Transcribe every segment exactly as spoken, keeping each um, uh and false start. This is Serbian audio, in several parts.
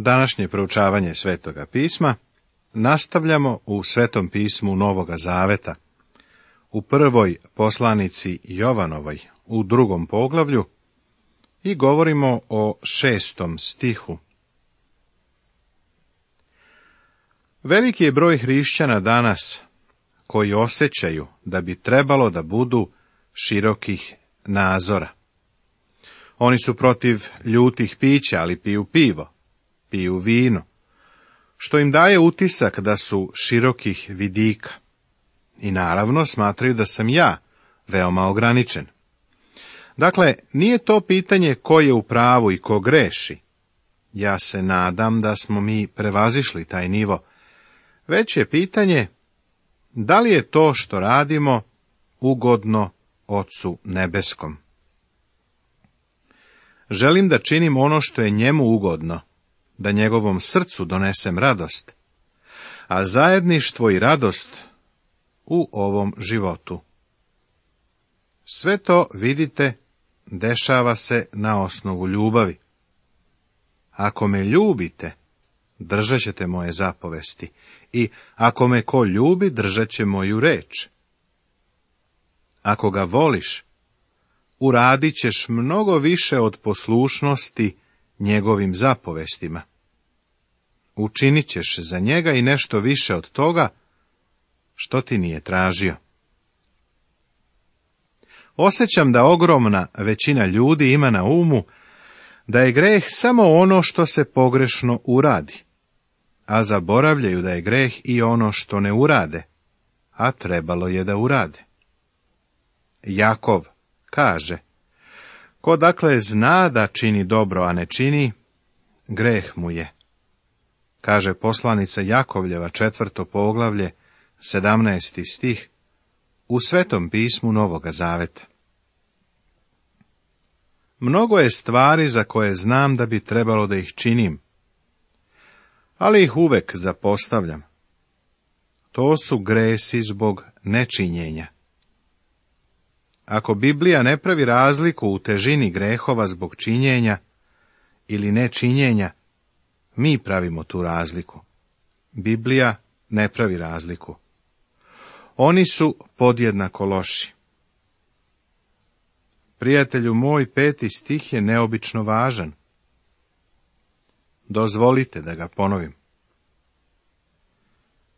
Današnje proučavanje Svetoga pisma nastavljamo u Svetom pismu Novoga Zaveta, u prvoj poslanici Jovanovoj, u drugom poglavlju, i govorimo o šestom stihu. Veliki je broj hrišćana danas koji osjećaju da bi trebalo da budu širokih nazora. Oni su protiv ljutih pića, ali piju pivo, piju vino, što im daje utisak da su širokih vidika. I naravno smatraju da sam ja veoma ograničen. Dakle, nije to pitanje ko je u pravu i ko greši. Ja se nadam da smo mi prevazišli taj nivo. Već je pitanje da li je to što radimo ugodno Ocu nebeskom. Želim da činim ono što je njemu ugodno, da njegovom srcu donesem radost, a zajedništvo i radost u ovom životu. Sve to, vidite, dešava se na osnovu ljubavi. Ako me ljubite, držat ćete moje zapovesti, i ako me ko ljubi, držat će moju reč. Ako ga voliš, uradit ćeš mnogo više od poslušnosti njegovim zapovestima. Učinit ćeš za njega i nešto više od toga što ti nije tražio. Osjećam da ogromna većina ljudi ima na umu da je greh samo ono što se pogrešno uradi, a zaboravljaju da je greh i ono što ne urade, a trebalo je da urade. Jakov kaže: ko dakle zna da čini dobro, a ne čini, greh mu je. Kaže poslanica Jakovljeva, četvrto poglavlje, sedamnaesti stih, u Svetom pismu Novoga Zaveta. Mnogo je stvari za koje znam da bi trebalo da ih činim, ali ih uvek zapostavljam. To su gresi zbog nečinjenja. Ako Biblija ne pravi razliku u težini grehova zbog činjenja ili nečinjenja, mi pravimo tu razliku. Biblija ne pravi razliku. Oni su podjednako loši. Prijatelju moj, peti stih je neobično važan. Dozvolite da ga ponovim.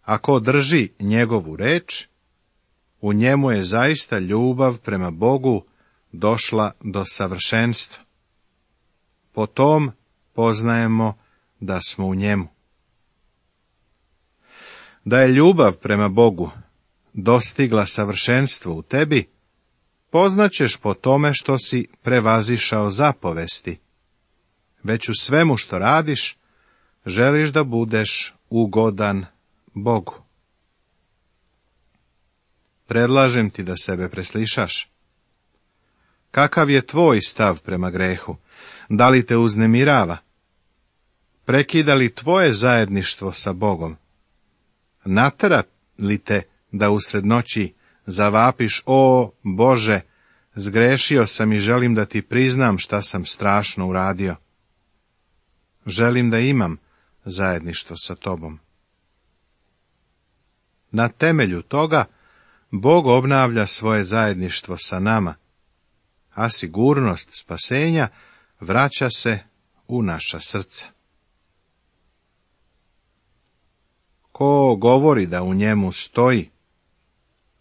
Ako drži njegovu reč, u njemu je zaista ljubav prema Bogu došla do savršenstva. Po tom poznajemo da smo u njemu. Da je ljubav prema Bogu dostigla savršenstvo u tebi, poznaćeš po tome što si prevazišao zapovesti. Već u svemu što radiš, želiš da budeš ugodan Bogu. Predlažem ti da sebe preslišaš. Kakav je tvoj stav prema grehu? Da li te uznemirava? Prekida li tvoje zajedništvo sa Bogom? Natera li te da usred noći zavapiš: o Bože, zgrešio sam i želim da ti priznam šta sam strašno uradio. Želim da imam zajedništvo sa tobom. Na temelju toga Bog obnavlja svoje zajedništvo sa nama, a sigurnost spasenja vraća se u naša srca. Ko govori da u njemu stoji,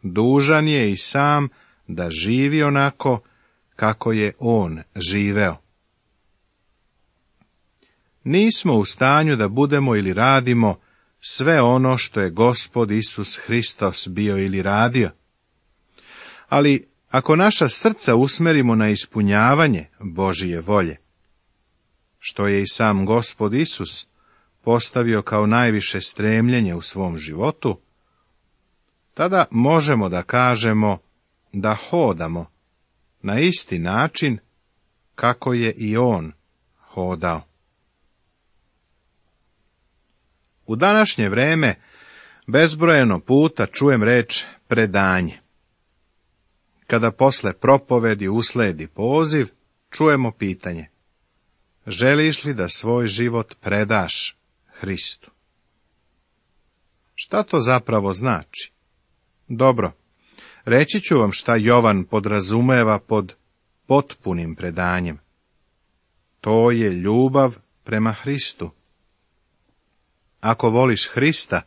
dužan je i sam da živi onako kako je on živeo. Nismo u stanju da budemo ili radimo sve ono što je Gospod Isus Hristos bio ili radio. Ali ako naša srca usmerimo na ispunjavanje Božije volje, što je i sam Gospod Isus postavio kao najviše stremljenje u svom životu, tada možemo da kažemo da hodamo na isti način kako je i on hodao. U današnje vreme bezbrojeno puta čujem reč predanje. Kada posle propovedi usledi poziv, čujemo pitanje: želiš li da svoj život predaš Hristu? Šta to zapravo znači? Dobro, reći ću vam šta Jovan podrazumeva pod potpunim predanjem. To je ljubav prema Hristu. Ako voliš Hrista,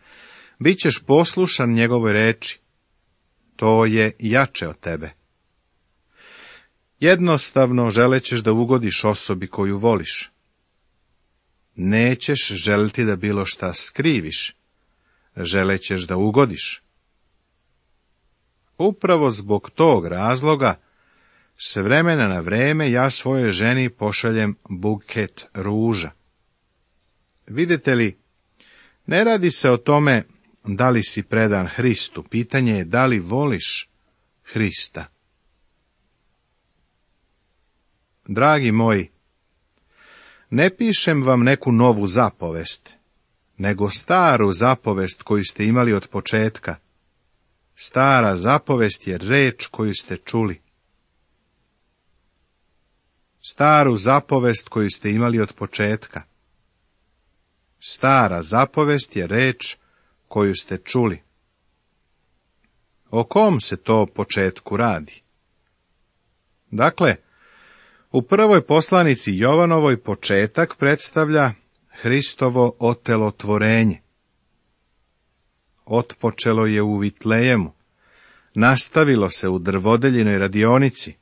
bit ćeš poslušan njegovoj reči. To je jače od tebe. Jednostavno želećeš da ugodiš osobi koju voliš. Nećeš želiti da bilo šta skriviš, želećeš da ugodiš. Upravo zbog tog razloga, s vremena na vreme ja svojoj ženi pošaljem buket ruža. Vidite li, ne radi se o tome da li si predan Hristu, pitanje je da li voliš Hrista. Dragi moji, ne pišem vam neku novu zapovest, nego staru zapovest koju ste imali od početka. Stara zapovest je reč koju ste čuli. Staru zapovest koju ste imali od početka. Stara zapovest je reč koju ste čuli. O kom se to početku radi? Dakle, u prvoj poslanici Jovanovoj početak predstavlja Hristovo otelotvorenje. Otpočelo je u Vitlejemu, nastavilo se u drvodeljinoj radionici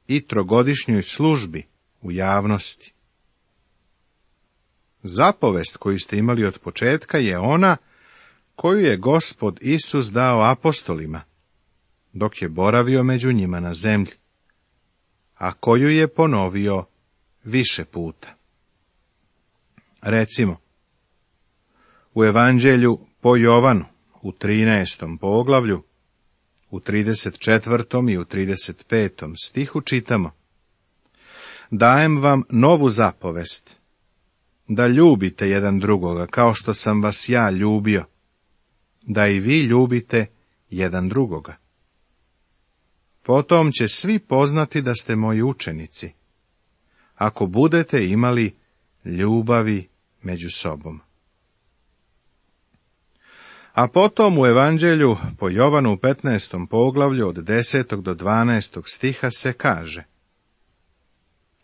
i trogodišnjoj službi u javnosti. Zapovest koju ste imali od početka je ona koju je Gospod Isus dao apostolima, dok je boravio među njima na zemlji, a koju je ponovio više puta. Recimo, u Evanđelju po Jovanu, u trinaestom poglavlju, u trideset četvrtom i u trideset petom stihu čitamo: Dajem vam novu zapovest, da ljubite jedan drugoga, kao što sam vas ja ljubio, da i vi ljubite jedan drugoga. Potom će svi poznati da ste moji učenici, ako budete imali ljubavi među sobom. A potom u Evanđelju po Jovanu u petnaestom poglavlju od desetog do dvanaestog stiha se kaže: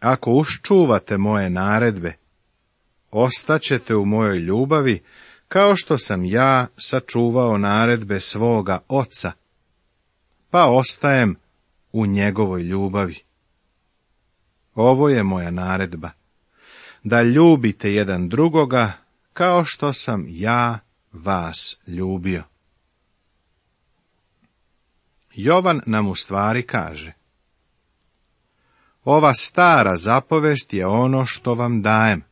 Ako uščuvate moje naredbe, ostaćete u mojoj ljubavi, kao što sam ja sačuvao naredbe svoga oca, pa ostajem u njegovoj ljubavi. Ovo je moja naredba, da ljubite jedan drugoga, kao što sam ja vas ljubio. Jovan nam u stvari kaže: Ova stara zapovest je ono što vam dajem.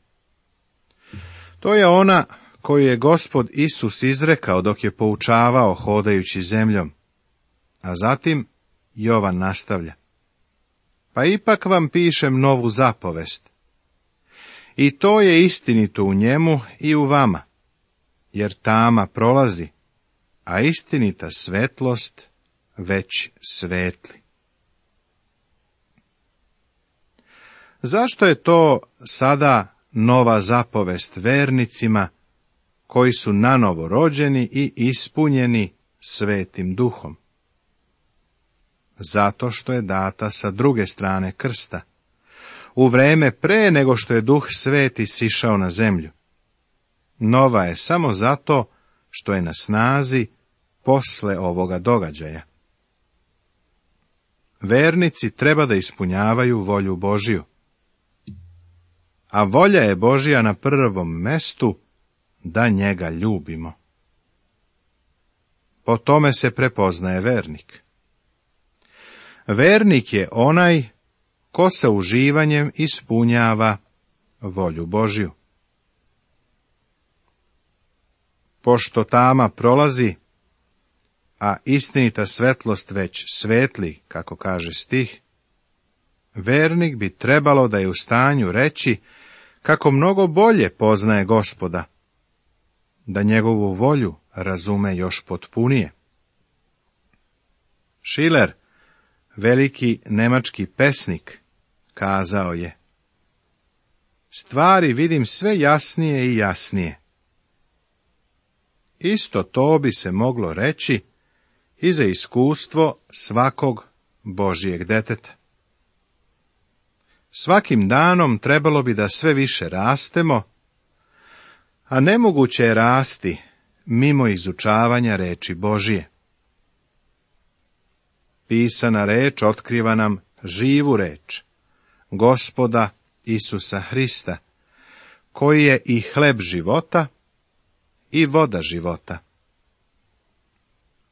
To je ona koju je Gospod Isus izrekao dok je poučavao hodajući zemljom. A zatim Jovan nastavlja: Pa ipak vam pišem novu zapovest. I to je istinito u njemu i u vama, jer tama prolazi, a istinita svetlost već svetli. Zašto je to sada nova zapovest vernicima koji su nanovo rođeni i ispunjeni Svetim Duhom? Zato što je data sa druge strane krsta, u vreme pre nego što je Duh Sveti sišao na zemlju. Nova je samo zato što je na snazi posle ovoga događaja. Vernici treba da ispunjavaju volju Božiju, a volja je Božja na prvom mestu da njega ljubimo. Po tome se prepoznaje vernik. Vernik je onaj ko sa uživanjem ispunjava volju Božju. Pošto tama prolazi, a istinita svetlost već svetli, kako kaže stih, vernik bi trebalo da je u stanju reći kako mnogo bolje poznaje Gospoda, da njegovu volju razume još potpunije. Schiller, veliki nemački pesnik, kazao je: stvari vidim sve jasnije i jasnije. Isto to bi se moglo reći i za iskustvo svakog Božijeg deteta. Svakim danom trebalo bi da sve više rastemo, a nemoguće je rasti mimo izučavanja reči Božije. Pisana reč otkriva nam živu reč, Gospoda Isusa Hrista, koji je i hleb života i voda života.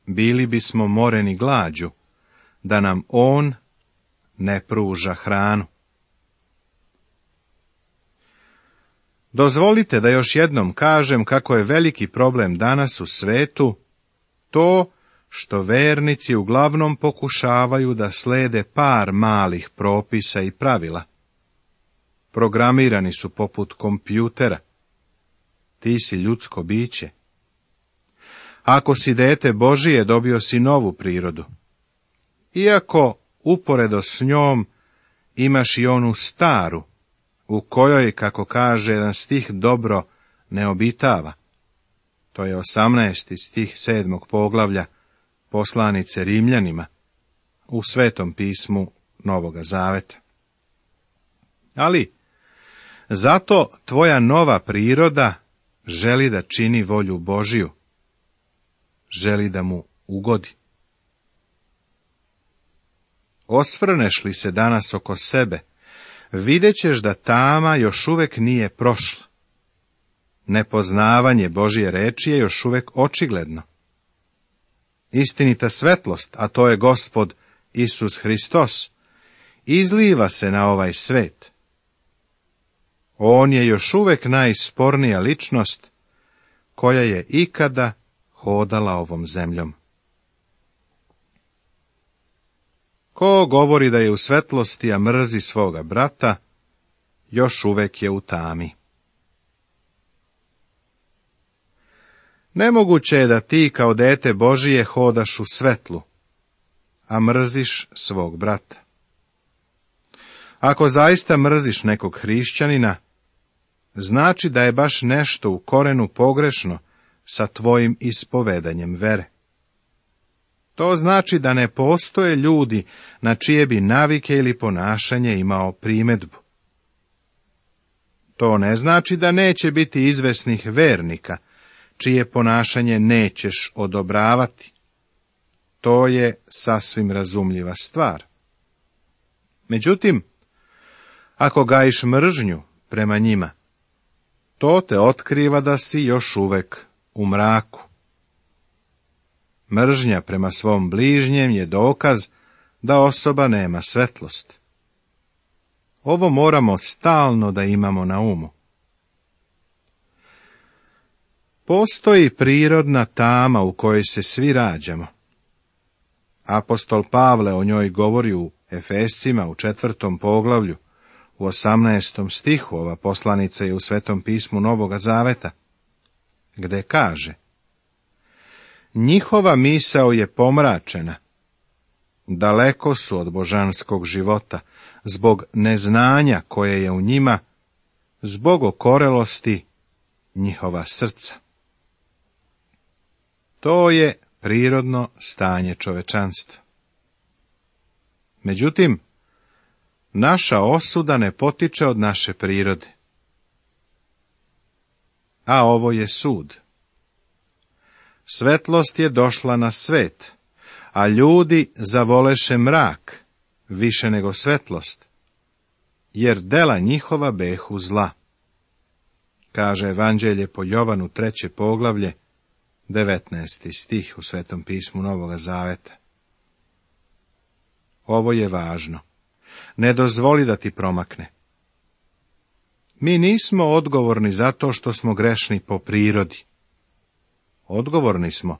Bili bismo moreni glađu, da nam on ne pruža hranu. Dozvolite da još jednom kažem kako je veliki problem danas u svetu to što vernici uglavnom pokušavaju da slede par malih propisa i pravila. Programirani su poput kompjutera. Ti si ljudsko biće. Ako si dete Božije, dobio si novu prirodu. Iako uporedo s njom imaš i onu staru, u kojoj, kako kaže jedan stih, dobro ne obitava. To je osamnaesti stih sedmog poglavlja poslanice Rimljanima u Svetom pismu Novoga Zaveta. Ali, zato tvoja nova priroda želi da čini volju Božiju, želi da mu ugodi. Osvrneš li se danas oko sebe, vidjet ćeš da tama još uvek nije prošla. Nepoznavanje Božje reči je još uvek očigledno. Istinita svetlost, a to je Gospod Isus Hristos, izliva se na ovaj svet. On je još uvek najspornija ličnost koja je ikada hodala ovom zemljom. Ko govori da je u svetlosti, a mrzi svoga brata, još uvek je u tami. Nemoguće je da ti kao dete Božije hodaš u svetlu, a mrziš svog brata. Ako zaista mrziš nekog hrišćanina, znači da je baš nešto u korenu pogrešno sa tvojim ispovedanjem vere. To znači da ne postoje ljudi na čije bi navike ili ponašanje imao primedbu. To ne znači da neće biti izvesnih vernika, čije ponašanje nećeš odobravati. To je sasvim razumljiva stvar. Međutim, ako gajiš mržnju prema njima, to te otkriva da si još uvek u mraku. Mržnja prema svom bližnjem je dokaz da osoba nema svetlost. Ovo moramo stalno da imamo na umu. Postoji prirodna tama u kojoj se svi rađamo. Apostol Pavle o njoj govori u Efescima u četvrtom poglavlju, u osamnaestom stihu, ova poslanica je u Svetom pismu Novoga Zaveta, gde kaže: njihova misao je pomračena, daleko su od božanskog života, zbog neznanja koje je u njima, zbog okorelosti njihova srca. To je prirodno stanje čovečanstva. Međutim, naša osuda ne potiče od naše prirode. A ovo je sud. Svetlost je došla na svet, a ljudi zavoleše mrak više nego svetlost, jer dela njihova behu zla. Kaže Evanđelje po Jovanu treće poglavlje, devetnaesti stih u Svetom pismu Novoga Zaveta. Ovo je važno. Ne dozvoli da ti promakne. Mi nismo odgovorni zato što smo grešni po prirodi. Odgovorni smo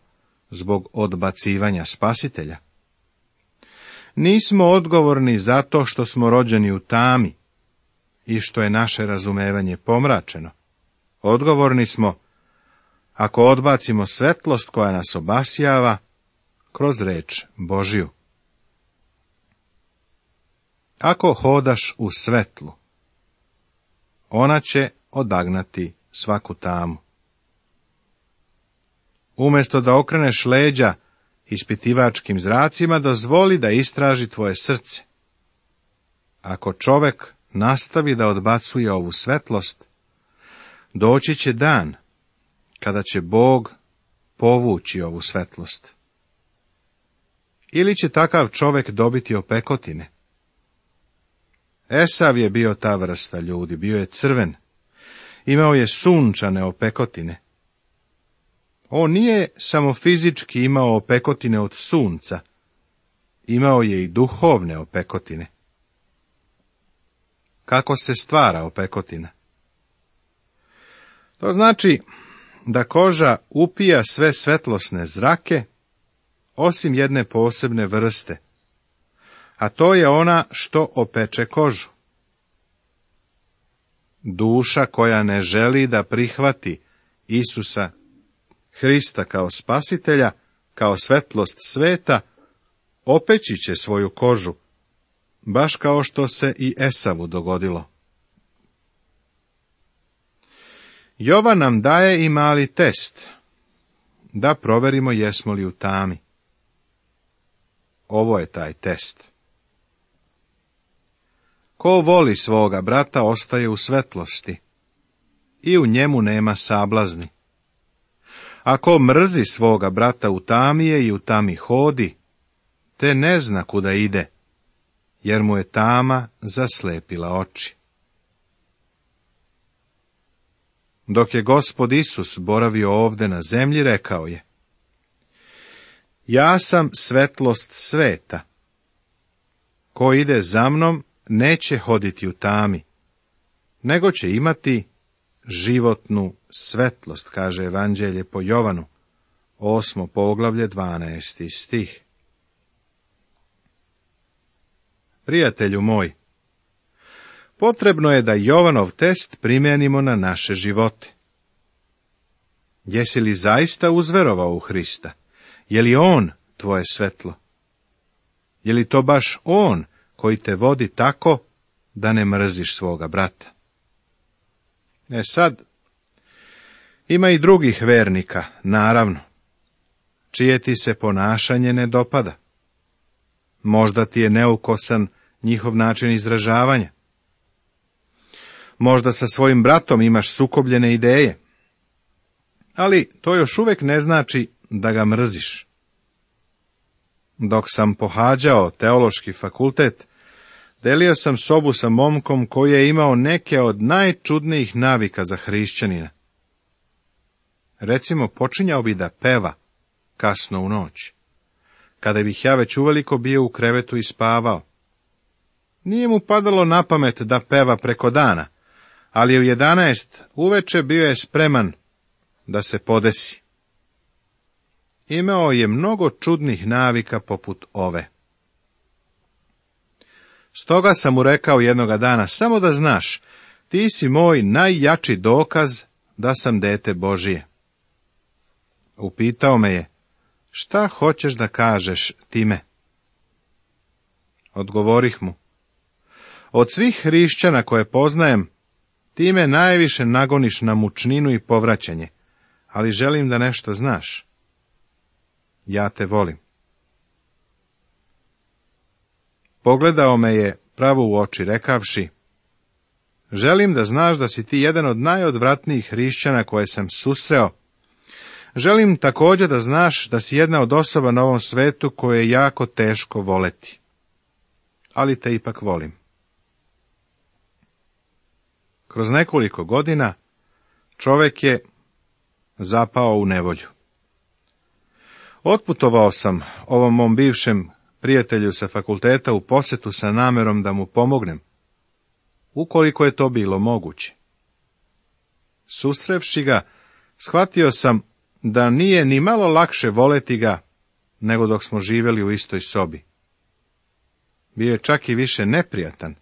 zbog odbacivanja Spasitelja. Nismo odgovorni zato što smo rođeni u tami i što je naše razumevanje pomračeno. Odgovorni smo ako odbacimo svetlost koja nas obasjava kroz reč Božju. Ako hodaš u svetlu, ona će odagnati svaku tamu. Umjesto da okreneš leđa ispitivačkim zracima, dozvoli da istraži tvoje srce. Ako čovek nastavi da odbacuje ovu svetlost, doći će dan kada će Bog povući ovu svetlost. Ili će takav čovek dobiti opekotine. Esav je bio ta vrsta ljudi, bio je crven, imao je sunčane opekotine. On nije samo fizički imao opekotine od sunca, imao je i duhovne opekotine. Kako se stvara opekotina? To znači da koža upija sve svetlosne zrake, osim jedne posebne vrste, a to je ona što opeče kožu. Duša koja ne želi da prihvati Isusa Hrista kao spasitelja, kao svetlost sveta, opeći će svoju kožu, baš kao što se i Esavu dogodilo. Jovan nam daje i mali test, da proverimo jesmo li u tami. Ovo je taj test. Ko voli svoga brata, ostaje u svetlosti, i u njemu nema sablazni. Ako mrzi svoga brata, u tami je i u tami hodi, te ne zna kuda ide, jer mu je tama zaslepila oči. Dok je Gospod Isus boravio ovde na zemlji, rekao je: Ja sam svetlost sveta. Ko ide za mnom, neće hoditi u tami, nego će imati životnu svetlost, kaže Evanđelje po Jovanu, osmo poglavlje, dvanaesti stih. Prijatelju moj, potrebno je da Jovanov test primijenimo na naše živote. Jesi li zaista uzverovao u Hrista? Je li On tvoje svetlo? Je li to baš On koji te vodi tako da ne mrziš svoga brata? E sad, ima i drugih vernika, naravno, čije ti se ponašanje ne dopada. Možda ti je neukosan njihov način izražavanja. Možda sa svojim bratom imaš sukobljene ideje, ali to još uvijek ne znači da ga mrziš. Dok sam pohađao teološki fakultet, delio sam sobu sa momkom koji je imao neke od najčudnijih navika za hrišćanina. Recimo, počinjao bi da peva kasno u noć, kada bih ja već uveliko bio u krevetu i spavao. Nije mu padalo na pamet da peva preko dana, ali u jedanaest uveče bio je spreman da se podesi. Imao je mnogo čudnih navika poput ove. Stoga sam mu rekao jednoga dana: samo da znaš, ti si moj najjači dokaz da sam dete Božije. Upitao me je: šta hoćeš da kažeš time? Odgovorih mu: od svih hrišćana koje poznajem, ti me najviše nagoniš na mučninu i povraćanje, ali želim da nešto znaš. Ja te volim. Pogledao me je pravo u oči, rekavši: želim da znaš da si ti jedan od najodvratnijih hrišćana koje sam susreo. Želim također da znaš da si jedna od osoba na ovom svetu koje je jako teško voleti. Ali te ipak volim. Kroz nekoliko godina čovjek je zapao u nevolju. Otputovao sam ovom mom bivšem prijatelju sa fakulteta u posjetu sa namjerom da mu pomognem, ukoliko je to bilo moguće. Susrevši ga, shvatio sam da nije ni malo lakše voleti ga nego dok smo živjeli u istoj sobi. Bio je čak i više neprijatan,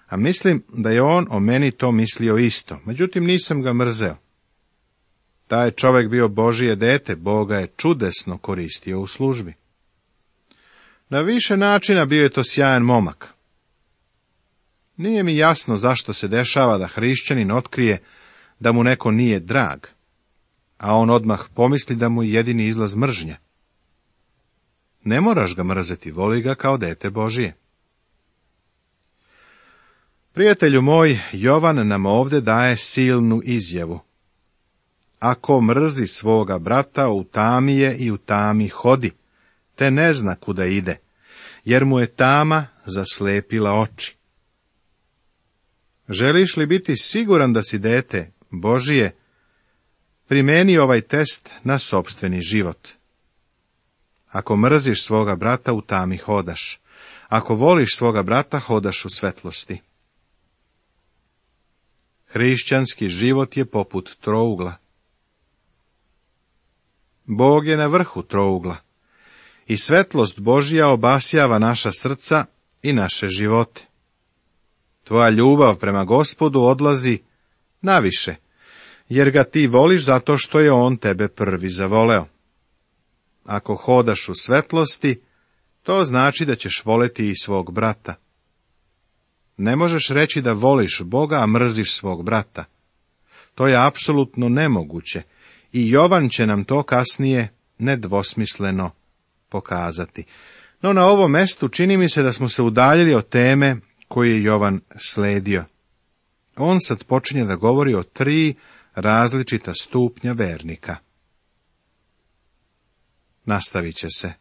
a mislim da je on o meni to mislio isto, međutim nisam ga mrzeo. Taj čovjek bio Božije dete, Boga je čudesno koristio u službi. Na više načina bio je to sjajan momak. Nije mi jasno zašto se dešava da hrišćanin otkrije da mu neko nije drag, a on odmah pomisli da mu je jedini izlaz mržnja. Ne moraš ga mrzeti, voli ga kao dete Božije. Prijatelju moj, Jovan nam ovdje daje silnu izjavu. Ako mrzi svoga brata, u tami je i u tami hodi, te ne zna kuda ide, jer mu je tama zaslepila oči. Želiš li biti siguran da si dete Božije, primeni ovaj test na sopstveni život. Ako mrziš svoga brata, u tami hodaš. Ako voliš svoga brata, hodaš u svetlosti. Hrišćanski život je poput trougla. Bog je na vrhu trougla i svetlost Božja obasjava naša srca i naše živote. Tvoja ljubav prema Gospodu odlazi naviše, jer ga ti voliš zato što je on tebe prvi zavoleo. Ako hodaš u svetlosti, to znači da ćeš voleti i svog brata. Ne možeš reći da voliš Boga, a mrziš svog brata. To je apsolutno nemoguće i Jovan će nam to kasnije nedvosmisleno pokazati. No na ovom mestu čini mi se da smo se udaljili od teme koju je Jovan sledio. On sad počinje da govori o tri različita stupnja vernika. Nastavit će se.